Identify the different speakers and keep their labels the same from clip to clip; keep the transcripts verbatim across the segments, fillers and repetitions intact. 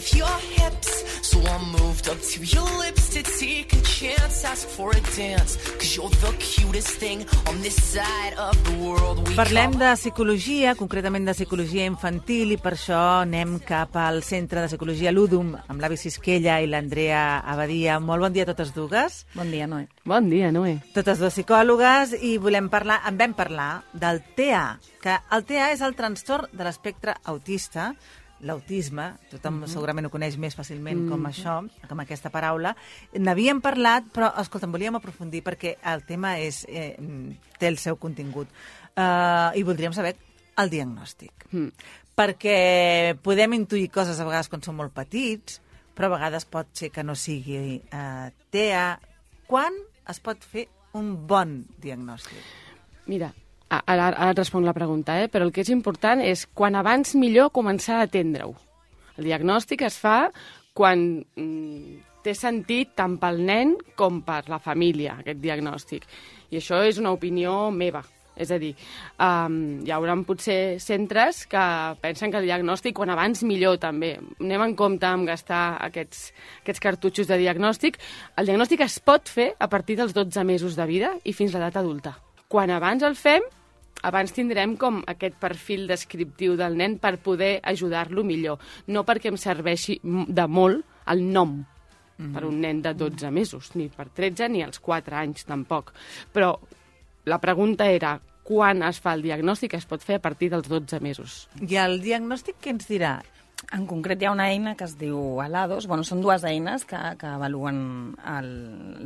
Speaker 1: with your hips. So I moved up to your lips to take a chance, ask for a dance, cause you're the cutest thing on this side of the world. We
Speaker 2: Parlem de psicologia, concretament de psicologia infantil, i per això anem cap al Centre de Psicologia Ludum amb l'Avi Sisquella i l'Andrea Abadia. Molt bon dia a totes dues.
Speaker 3: Bon dia, Noé.
Speaker 4: Bon dia, Noé.
Speaker 2: Totes dues psicòlogues, i volem parlar, en vam parlar del T A, que el T A és el trastorn de l'espectre autista, l'autisme, tothom mm -hmm. segurament ho coneix més fàcilment mm -hmm. com això, com aquesta paraula. N'havíem parlat, però, escolta'm, volíem aprofundir perquè el tema és, eh, té el seu contingut. Uh, I voldríem saber el diagnòstic. Mm. Perquè podem intuir coses a vegades quan som molt petits, però a vegades pot ser que no sigui uh, T A. Quan es pot fer un bon diagnòstic?
Speaker 4: Mira, Ara, ara et responc la pregunta, eh? Però el que és important és quan abans millor començar a atendre-ho. El diagnòstic es fa quan mm, té sentit tant pel nen com per la família, aquest diagnòstic. I això és una opinió meva. És a dir, um, hi haurà potser centres que pensen que el diagnòstic quan abans millor també. Anem en compte amb gastar aquests, aquests cartutxos de diagnòstic. El diagnòstic es pot fer a partir dels dotze mesos de vida i fins l'edat adulta. Quan abans el fem, abans tindrem com aquest perfil descriptiu del nen per poder ajudar-lo millor. No perquè em serveixi de molt el nom mm-hmm. per un nen de dotze mesos, ni per tretze ni als quatre anys tampoc. Però la pregunta era quan es fa el diagnòstic, es pot fer a partir dels dotze mesos.
Speaker 2: I el diagnòstic què ens dirà?
Speaker 3: En concret hi ha una eina que es diu ALADOS. Bueno, són dues eines que, que avaluen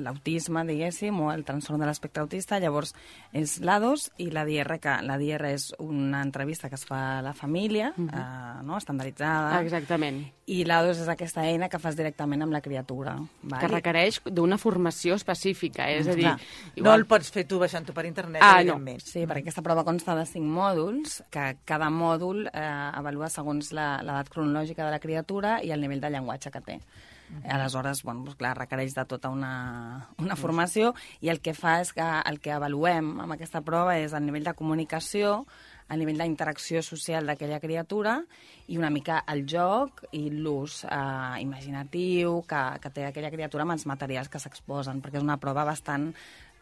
Speaker 3: l'autisme, diguéssim, o el trastorn de l'espectre autista. Llavors, és l'ADOS i la D R, que la D R és una entrevista que es fa a la família, uh-huh. eh, no? Estandarditzada.
Speaker 4: Exactament.
Speaker 3: I l'ADOS és aquesta eina que fas directament amb la criatura. Val?
Speaker 4: Que requereix d'una formació específica, eh? És a dir...
Speaker 2: Clar.
Speaker 4: Igual...
Speaker 2: No el pots fer tu baixant-ho per internet,
Speaker 4: ah,
Speaker 2: evidentment.
Speaker 4: No.
Speaker 3: Sí, perquè aquesta prova consta de cinc mòduls, que cada mòdul eh, avalua segons l'edat cronològica de la criatura i el nivell de llenguatge que té. Uh-huh. Aleshores, bueno, doncs, clar, requereix de tota una, una formació, i el que fa és que el que avaluem amb aquesta prova és el nivell de comunicació, el nivell d'interacció social d'aquella criatura i una mica el joc i l'ús eh, imaginatiu que, que té aquella criatura amb els materials que s'exposen, perquè és una prova bastant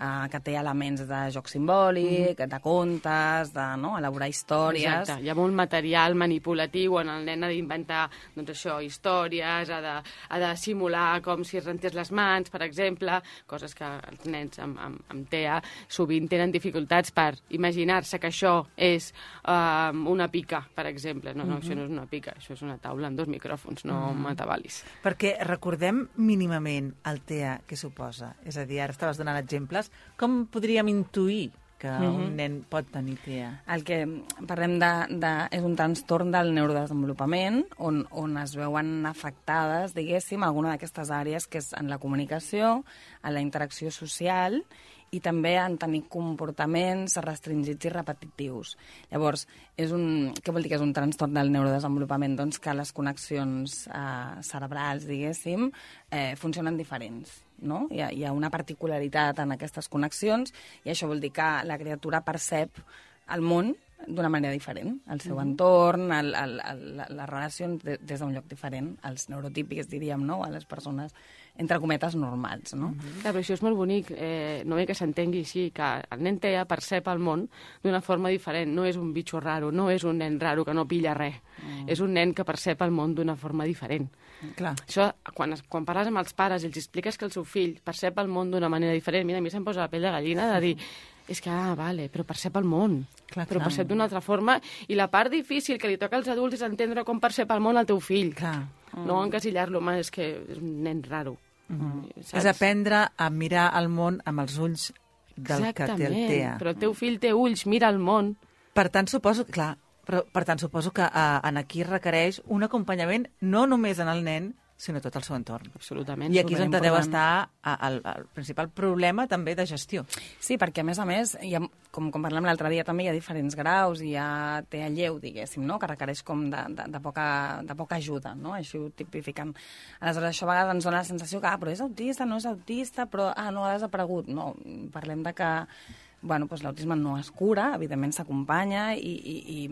Speaker 3: eh, que té elements de joc simbòlic, mm-hmm. de contes, de no, elaborar històries...
Speaker 4: Exacte, hi ha molt material manipulatiu on el nen ha d'inventar, doncs això, històries, ha de, ha de simular com si es rentés les mans, per exemple, coses que els nens amb, amb, amb T A sovint tenen dificultats per imaginar-se que això és uh, una pica, per exemple. No, no, mm-hmm. això no és una pica, això és una taula amb dos micròfons, no mm-hmm. matabalis.
Speaker 2: Perquè recordem mínimament el T A que suposa. És a dir, ara estaves donant exemples. Com podríem intuir que mm-hmm. un nen pot tenir T A?
Speaker 3: El que parlem de, de, és un trastorn del neurodesenvolupament on, on es veuen afectades, diguéssim, alguna d'aquestes àrees, que és en la comunicació, en la interacció social i també en tenir comportaments restringits i repetitius. Llavors, és un, què vol dir que és un trastorn del neurodesenvolupament? Doncs que les connexions eh, cerebrals, diguéssim, eh, funcionen diferents. No? Hi ha, hi ha una particularitat en aquestes connexions i això vol dir que la criatura percep el món d'una manera diferent, el seu mm-hmm. entorn, el, el, el, les relacions de, des d'un lloc diferent, els neurotípics, diríem, no? A les persones, entre cometes, normals. No?
Speaker 4: Mm-hmm. Clar, però això és molt bonic, eh, no bé que s'entengui així, que el nen T A percep el món d'una forma diferent, no és un bitxo raro, no és un nen raro que no pilla res, mm. és un nen que percep el món d'una forma diferent.
Speaker 2: Clar.
Speaker 4: Això, quan, quan parles amb els pares i els expliques que el seu fill percep el món d'una manera diferent, mira, a mi se'm posa la pell de gallina de dir, és que, ah, vale, però percep el món, clar, però clar. percep d'una altra forma, i la part difícil que li toca als adults és entendre com percep el món el teu fill.
Speaker 2: Clar.
Speaker 4: No mm. encasillar-lo, home, és que és un nen raro.
Speaker 2: Mm-hmm. És aprendre a mirar el món amb els ulls del
Speaker 4: Exactament,
Speaker 2: que té el T A.
Speaker 4: Però el teu fill té ulls, mira el món.
Speaker 2: Per tant, suposo, clar, però, per tant, suposo que uh, en aquí requereix un acompanyament no només en el nen, sinó tot el seu entorn.
Speaker 4: Absolutament.
Speaker 2: I aquí és on deu estar el, el principal problema també de gestió.
Speaker 3: Sí, perquè a més a més, hi ha, com, com parlem l'altre dia, també hi ha diferents graus, hi ha T A lleu, diguéssim, no? Que requereix com de, de, de, poca, de poca ajuda, no? Així ho tipifiquen. Aleshores, això a vegades ens dona la sensació que, ah, però és autista, no és autista, però, ah, no ha desaparegut. No, parlem de que bueno, doncs l'autisme no es cura, evidentment s'acompanya i, i, i,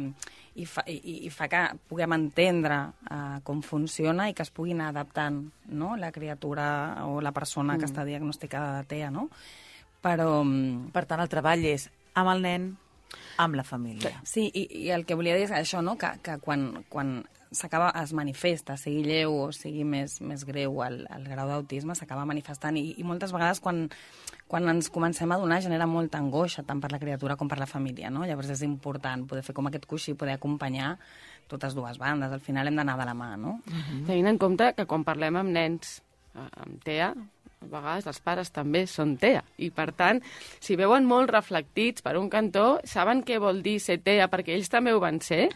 Speaker 3: i fa, i, i fa que puguem entendre uh, com funciona i que es pugui anar adaptant, no?, la criatura o la persona mm. que està diagnosticada de T E A, no? Però...
Speaker 2: Per tant, el treball és amb el nen, amb la família.
Speaker 3: Sí, i, i el que volia dir és això, no?, que, que quan, quan s'acaba, es manifesta, sigui lleu o sigui més, més greu el, el grau d'autisme, s'acaba manifestant i, i moltes vegades quan, quan ens comencem a donar genera molta angoixa tant per la criatura com per la família, no? Llavors és important poder fer com aquest coixí, poder acompanyar totes dues bandes. Al final hem d'anar de la mà, no?
Speaker 4: Uh-huh. Tenint en compte que quan parlem amb nens amb T E A, a vegades els pares també són T E A. I, per tant, si veuen molt reflectits per un cantó, saben què vol dir ser T E A, perquè ells també ho van ser,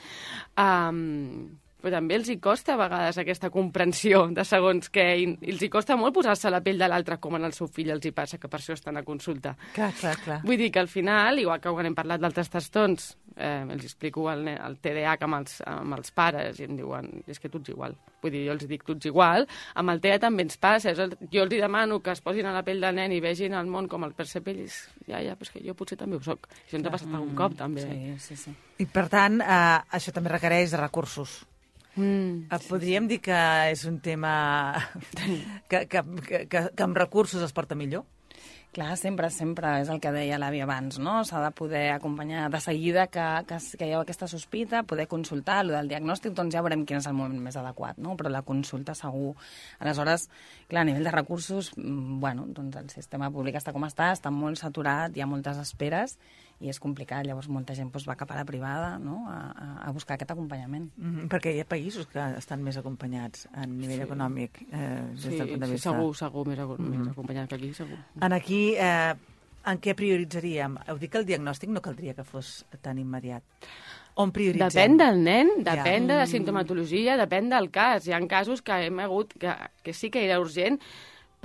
Speaker 4: um, però també els hi costa a vegades aquesta comprensió de segons què, i els hi costa molt posar-se a la pell de l'altre, com en el seu fill els hi passa, que per això estan a consulta.
Speaker 2: Clar, clar, clar.
Speaker 4: Vull dir que al final, igual que quan hem parlat d'altres trastorns, eh, els explico el, el T D A H amb els, amb els pares i em diuen, és que tu ets igual. Vull dir, jo els dic, tu ets igual. Amb el T E A també ens passa. El, jo els demano que es posin a la pell del nen i vegin el món com el percep ells. Ja, ja, però és que jo potser també ho soc. Això ens ha passat algun cop, també.
Speaker 3: Sí, sí, sí.
Speaker 2: I, per tant, eh, això també requereix recursos.
Speaker 4: Mm.
Speaker 2: Podríem dir que és un tema que, que, que, que, que amb recursos es porta millor?
Speaker 3: Clar, sempre, sempre, és el que deia l'avi abans, no? S'ha de poder acompanyar de seguida que, que, que hi ha aquesta sospita, poder consultar, el del diagnòstic, doncs ja veurem quin és el moment més adequat, no? Però la consulta segur. Aleshores, clar, a nivell de recursos, bueno, doncs el sistema públic està com està, està molt saturat, hi ha moltes esperes, i és complicat, llavors molta gent doncs, va cap a la privada, no?, a, a buscar aquest acompanyament.
Speaker 2: Mm-hmm, perquè hi ha països que estan més acompanyats a nivell
Speaker 4: sí.
Speaker 2: econòmic, eh, des
Speaker 4: sí,
Speaker 2: del punt de vista.
Speaker 4: Sí, segur, segur, més, mm-hmm. més acompanyat que aquí, segur.
Speaker 2: En aquí, eh, en què prioritzaríem? Heu dit que el diagnòstic no caldria que fos tan immediat. On prioritzem?
Speaker 4: Depèn del nen, depèn
Speaker 2: ja.
Speaker 4: de la sintomatologia, depèn del cas. Hi ha casos que hem hagut, que, que sí que era urgent,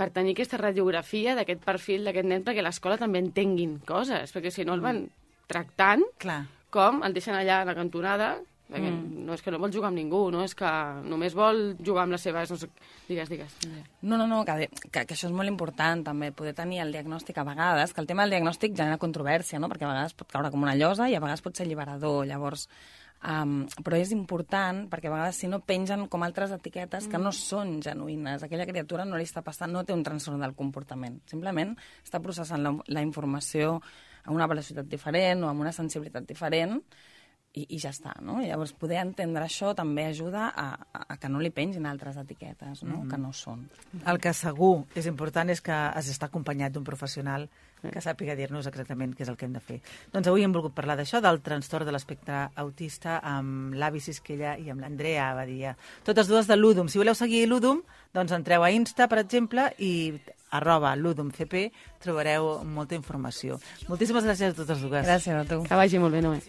Speaker 4: per tenir aquesta radiografia d'aquest perfil d'aquest nen, perquè a l'escola també entenguin coses, perquè si no el van tractant,
Speaker 2: Clar.
Speaker 4: com el deixen allà a la cantonada, perquè
Speaker 3: Mm.
Speaker 4: no és que no vol jugar amb ningú, no és que només vol jugar amb les seves... No sé, digues, digues.
Speaker 3: No, no, no, que, que, que això és molt important, també, poder tenir el diagnòstic a vegades, que el tema del diagnòstic genera controvèrsia, no?, perquè a vegades pot caure com una llosa i a vegades pot ser alliberador, llavors... Um, però és important perquè a vegades si no pengen com altres etiquetes que no són genuïnes. Aquella criatura no li està passant, no té un trastorn del comportament. Simplement està processant la, la informació a una velocitat diferent o amb una sensibilitat diferent i, i ja està, no? I llavors poder entendre això també ajuda a, a, a que no li pengin altres etiquetes, no?, mm. que no són.
Speaker 2: El que segur és important és que es està acompanyat d'un professional que sàpiga dir-nos exactament què és el que hem de fer. Doncs avui hem volgut parlar d'això, del trastorn de l'espectre autista, amb l'Avi Sisquella i amb l'Andrea Abadia. Totes dues de l'Udum. Si voleu seguir l'Udum, doncs entreu a Insta, per exemple, i arroba l'UdumCP trobareu molta informació. Moltíssimes gràcies a totes dues.
Speaker 3: Gràcies a tu.
Speaker 4: Que vagi molt bé, Noé.